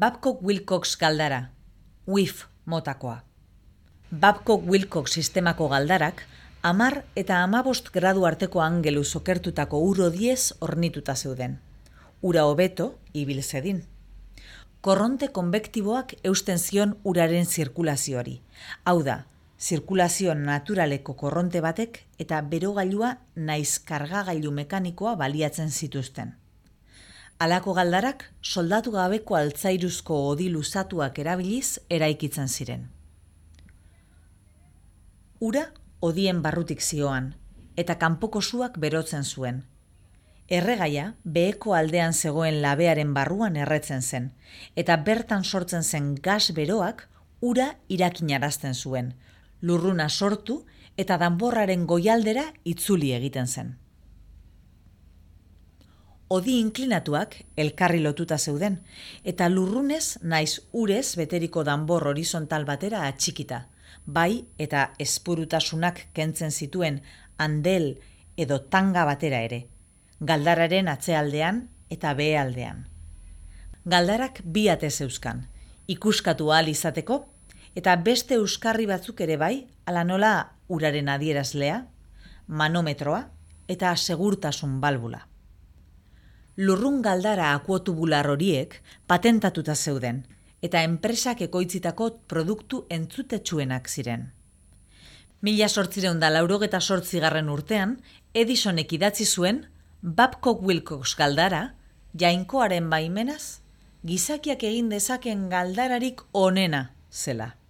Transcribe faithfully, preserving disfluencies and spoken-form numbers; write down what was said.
Babcock-Wilcox galdara, U I F motakoa. Babcock-Wilcox sistemako galdarak hamar eta hamabost gradu arteko angelu okertutako ur hodiez hornituta zeuden. Ura hobeto ibil zedin. Korronte konbektiboak eusten zion uraren zirkulazioari. Hau da, zirkulazio naturaleko korronte batek eta berogailua naiz kargagailu mekanikoa baliatzen zituzten. Halako galdarak soldatu gabeko altzairuzko hodi luzatuak erabiliz eraikitzen ziren. Ura hodien barrutik zioan, eta kanpoko suak berotzen zuen. Erregaia beheko aldean zegoen labearen barruan erretzen zen, eta bertan sortzen zen gas beroak ura irakinarazten zuen, lurruna sortu eta danborraren goialdera itzuli egiten zen. Hodi inklinatuak elkarri lotuta zeuden, eta lurrunez naiz urez beteriko danbor horizontal batera atxikita, bai eta espurutasunak kentzen zituen handel edo tanga batera ere, galdararen atzealdean eta behealdean. Galdarak bi ate zeuzkan, ikuskatu ahal izateko, eta beste euskarri batzuk ere bai, ala nola uraren adierazlea, manometroa eta segurtasun balbula. Lurrun galdara akuotubular horiek patentatuta zeuden, eta enpresak ekoitzitako produktu entzutetsuenak ziren. Mila zortziehun eta laurogeita zortzigarren urtean, Edisonek idatzi zuen Babcock-Wilcox galdara, jainkoaren baimenaz, gizakiak egin dezaken galdararik onena zela.